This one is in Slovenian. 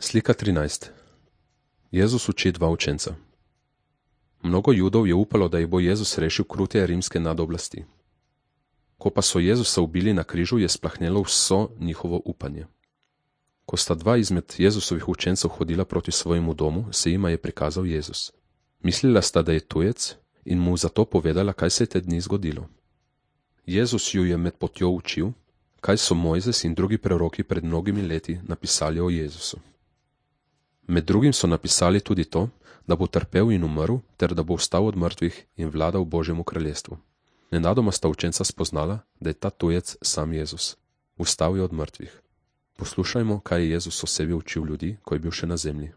Slika 13. Jezus uči dva učenca. Mnogo Judov je upalo, da jih bo Jezus rešil krutje rimske nadoblasti. Ko pa so Jezusa ubili na križu, je splahnelo vso njihovo upanje. Ko sta dva izmed Jezusovih učencev hodila proti svojemu domu, se jima je prikazal Jezus. Mislila sta, da je tujec, in mu zato povedala, kaj se je te dni zgodilo. Jezus ju je med potjo učil, kaj so Mojzes in drugi preroki pred mnogimi leti napisali o Jezusu. Med drugim so napisali tudi to, da bo trpel in umrl, ter da bo vstal od mrtvih in vladal v Božjemu kraljestvu. Nenadoma sta učenca spoznala, da je ta tujec sam Jezus. Vstal je od mrtvih. Poslušajmo, kaj je Jezus o sebi učil ljudi, ko je bil še na zemlji.